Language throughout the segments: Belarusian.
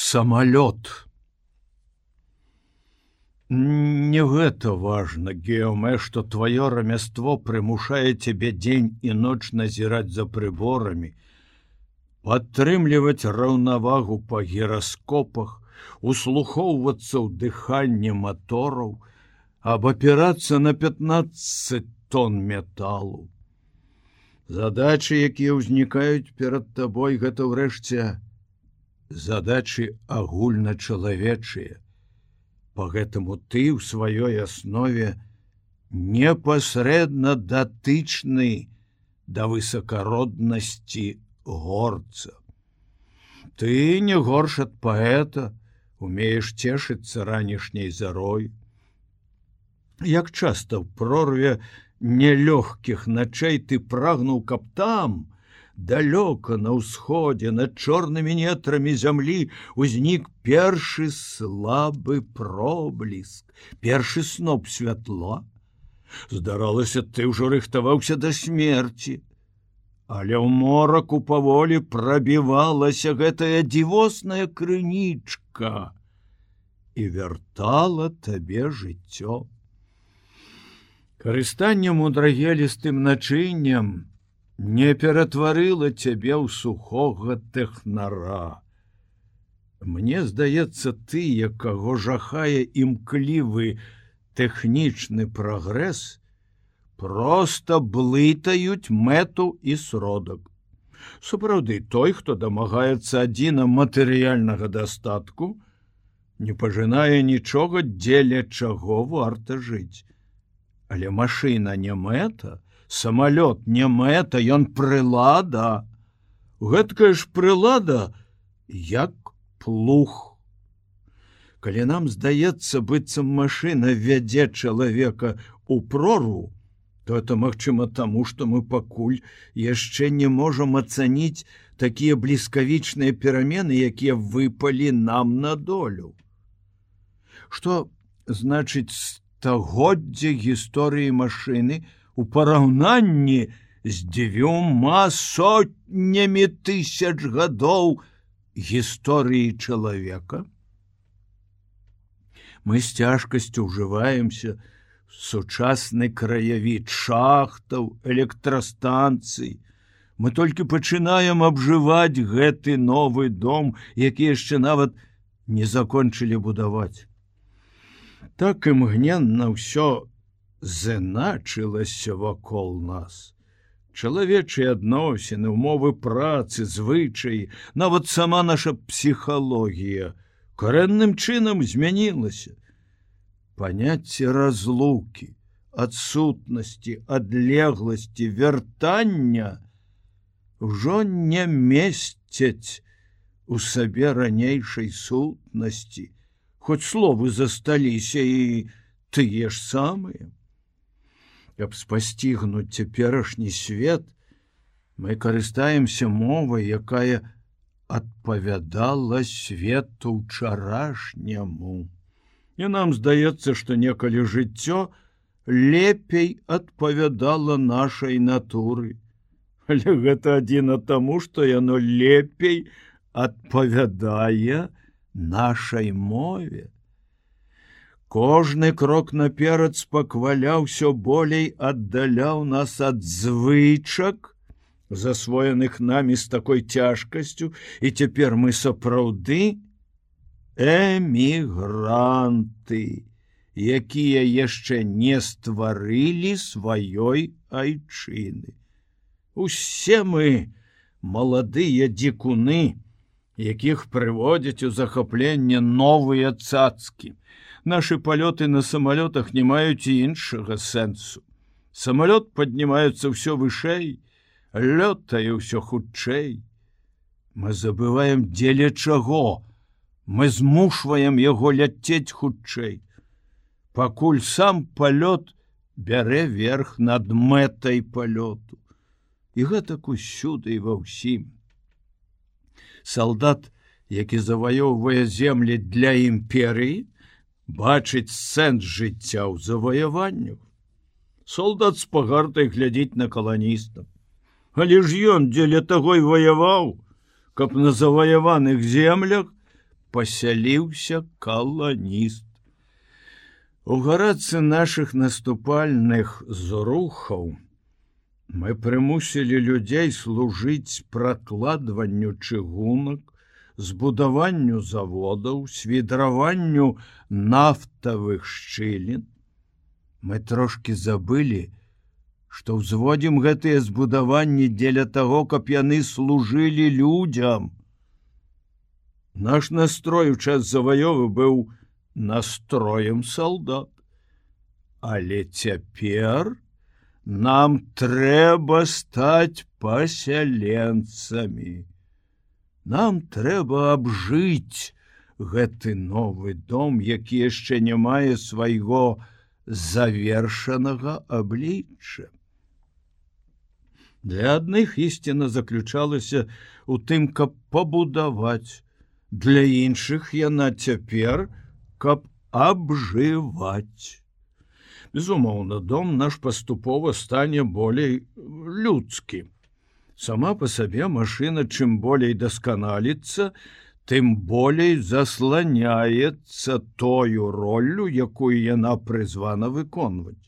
Самолет. Не гэта важна, Геоме, што тваё рамяство прымушае цябе дзень і ноч назіраць за прыборамі, падтрымліваць раўнавагу па гіраскопах, услухоўвацца ў дыханне матораў, абапірацца на 15 тонн металу. Задачы, якія ўзнікаюць перад табой, гэта ўрэшце задачы агульначалавечыя. Поэтому ты ў сваёй аснове непасрэдна датычны да высакароднасці горца. Ты не горш ад паэта, умееш цешыцца ранішняй зарой. Як часта ў прорве нелёгкіх начэй ты прагнуў, каб там, далёка на ўсходзе, над чорнымі нетрамі зямлі узнік першы слабы пробліск, першы сноп святла. Здаралася, ты ўжо рыхтаваўся да смерці, але ў мораку паволі прабівалася гэтая дзівосная крынічка і вяртала табе жыццё. Карыстанне мудрагелістым начыннем не ператварыла цябе ў сухога тэхнара. Мне здаецца, ты, якаго жахае імклівы тэхнічны прагрэс, проста блытаюць мэту і сродак. Сапраўды, той, хто дамагаецца адзіна матэрыяльнага дастатку, не пажынае нічога, дзеля чаго варта жыць. Але машына не мэта, самолет не мэта, ён прылада. Гэткая ж прылада, як плуг. Калі нам здаецца, быццам машына вядзе чалавека ў прорву, то это магчыма таму, што мы пакуль яшчэ не можам ацаніць такія бліскавічныя перамены, якія выпалі нам на долю. Што значыць стагоддзе гісторыі машыны у параўнанні з 2 сотнямі тысяч гадоў гісторыі чалавека? Мы з цяжкасцю ўжываемся в сучасны краявід шахтаў, электрастанцый. Мы толькі пачынаем абжываць гэты новы дом, які яшчэ нават не закончылі будаваць. Так імгненна ўсё зыначылася вакол нас. Чалавечыя адносіны, умовы працы, звычаі, нават сама наша псіхалогія карэнным чынам змянілася. Паняцце разлукі, адсутнасці, адлегласці, вяртання ўжо не месцяць у сабе ранейшай сутнасці, хоць словы засталіся і тыя ж самыя. Каб спасцігнуць цяперашні свет, мы карыстаемся мовай, якая адпавядала свету ўчарашняму. І нам здаецца, што некалі жыццё лепей адпавядала нашай натуры. Але гэта адзіна таму, што яно лепей адпавядае нашай мове. Кожны крок наперад спакваляў, усё болей аддаляў нас ад звычак, засвоеных намі з такой цяжкасцю, і цяпер мы сапраўды эмігранты, якія яшчэ не стварылі сваёй айчыны. Усе мы маладыя дзікуны, якіх прыводзяць у захапленне новыя цацкі. Нашы палёты на самалётах не маюць іншага сэнсу. Самалёт паднімаецца ўсё вышэй, лётае ўсё хутчэй. Мы забываем, дзеля чаго. Мы змушваем яго ляцець хутчэй. Пакуль сам палёт бярэ верх над мэтай палёту. І гэтак усюды і ва ўсім. Салдат, які заваёўвае землі для імперыі, бачыць сэнс жыцця ў заваяваннях. Солдат з пагардай глядзіць на каланістаў. Але ж ён дзеля таго і ваяваў, каб на заваяваных землях пасяліўся каланіст. У гарацы нашых наступальных зрухаў мы прымусілі людзей служыць пракладванню чыгунак, збудаванню заводаў, свідраванню нафтавых шчылін. Мы трошкі забылі, што ўзводзім гэтыя збудаванні дзеля таго, каб яны служылі людзям. Наш настрой у час заваёвы быў настроем салдат. Але цяпер нам трэба стаць пасяленцамі. Нам трэба абжыць гэты новы дом, які яшчэ не мае свайго завершанага аблічча. Для адных ісціна заключалася ў тым, каб пабудаваць, для іншых яна цяпер, каб абжываць. Безумоўна, дом наш паступова стане болей людскі. Сама па сабе машына чым болей дасканаліцца, тым болей засланяецца тою роллю, якую яна прызвана выконваць.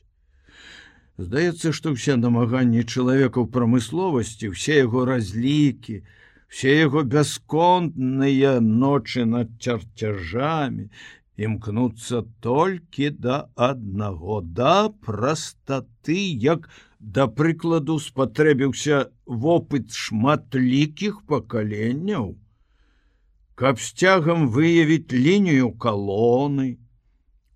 Здаецца, што ўсе намаганні чалавека ў прамысловасці, все яго разлікі, все яго бясконтныя ночы над чарцяжамі імкнуцца толькі да аднаго, да прастаты, як, да прыкладу, спатрэбіўся вопыт шматлікіх пакаленняў, каб з цягам выявіць лінію калоны,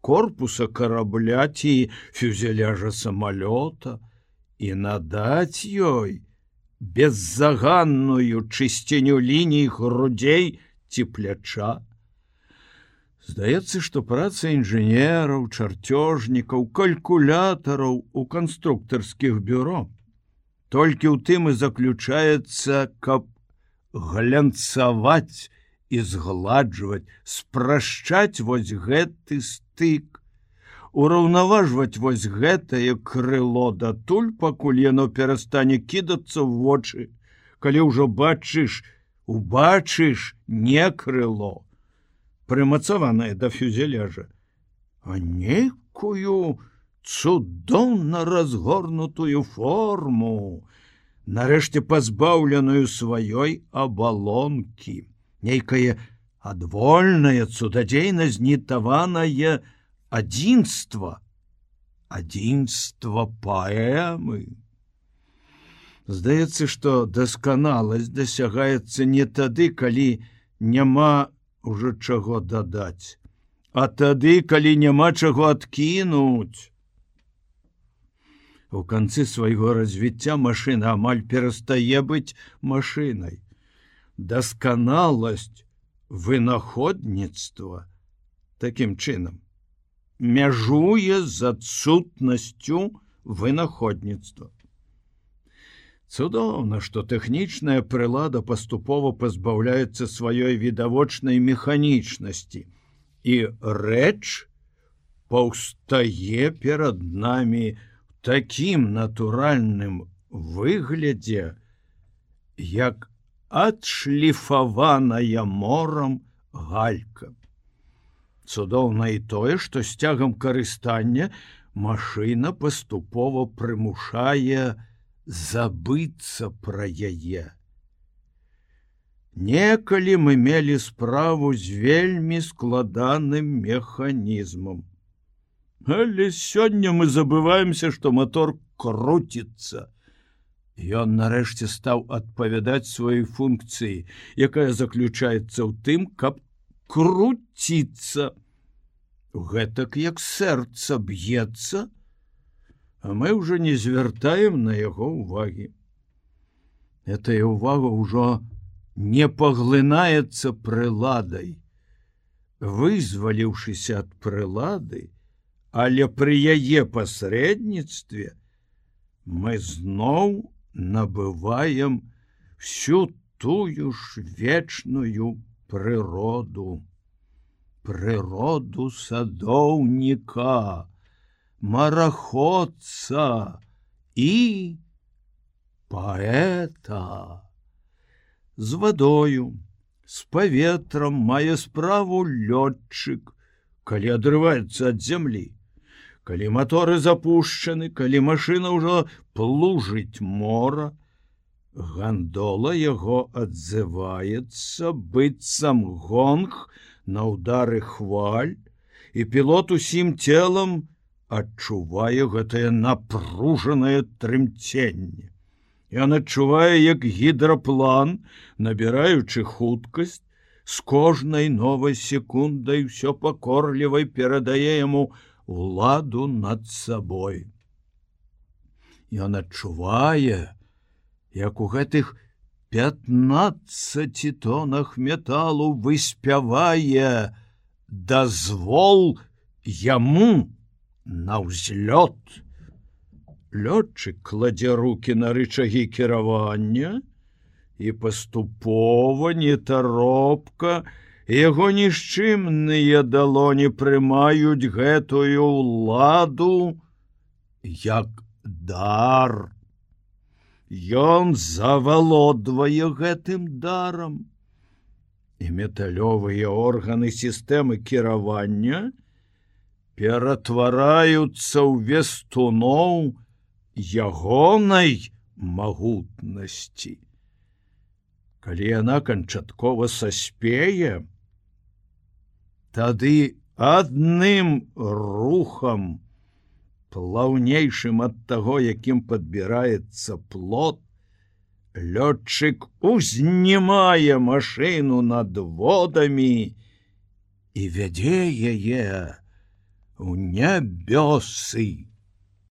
корпуса карабля ці фюзеляжа самалёта і надаць ёй беззаганную чысціню ліній грудзей ці пляча. Здаецца, што праца інжынераў, чарцёжнікаў, калькулятараў у канструктарскіх бюро толькі ў тым і заключаецца, каб глянцаваць і згладжваць, спрашчаць вось гэты стык, ураўнаважваць вось гэтае крыло датуль, пакуль яно перастане кідацца ў вочы, калі ўжо убачыш не крыло, прымацаванае да фюзеляжа, а нейкую цудоўна разгорнутую форму, нарэшце пазбаўленую сваёй абалонкі, нейкае адвольнае, цудадзейна знітаванае адзінства паэмы. Здаецца, што дасканаласць дасягаецца не тады, калі няма ўжо чаго дадаць, а тады, калі няма чаго адкінуць. У канцы свайго развіцця машына амаль перастае быць машынай. Дасканаласць вынаходніцтва такім чынам мяжуе з адсутнасцю вынаходніцтва. Цудоўна, што тэхнічная прылада паступова пазбаўляецца сваёй відавочнай механічнасці, і рэч паўстае перад намі такім натуральным выглядзе, як адшліфаваная морам галька. Цудоўна і тое, што з цягам карыстання машына паступова прымушае забыцца пра яе. Некалі мы мелі справу з вельмі складаным механізмам. Але сёння мы забываемся, што мотор круціцца. Ён нарэшце стаў адпавядаць сваёй функцыі, якая заключаецца ў тым, каб круціцца. Гэтак як сэрца б'ецца, а мы ўжо не звяртаем на яго ўвагі. Гэтая ўвага ўжо не паглынаецца прыладай. Вызваліўшыся ад прылады, але пры яе пасрэдніцтве мы зноў набываем всю тую ж вечную прыроду. Прыроду садоўніка, мараходца і паэта. З вадою, З паветрам мае справу лётчык, калі адрываецца ад зямлі. Калі маторы запушчаны, калі машына ўжо плужыць мора, гандола яго адзываецца, быццам гонг на ўдары хваль, і пілот усім целам адчувае гэтае напружанае трымценне. Ён адчувае, як гідраплан, набіраючы хуткасць, з кожнай новай секундай усё пакорлівай перадае яму уладу над сабой. Ён адчувае, як у гэтых 15 тонах металу выспявае дазвол яму на ўзлёт. Лётчык кладзе рукі на рычагі кіравання, і паступова, нетаропка, яго нішчымныя далоні прымаюць гэтую ўладу як дар. Ён завалодвае гэтым дарам, і металёвыя органы сістэмы кіравання ператвараюцца ў вестуноў ягонай магутнасці. Калі яна канчаткова саспее, тады адным рухам, плаўнейшым ад таго, якім падбіраецца плот, лётчык узнімае машыну над водамі і вядзе яе ў нябёсы.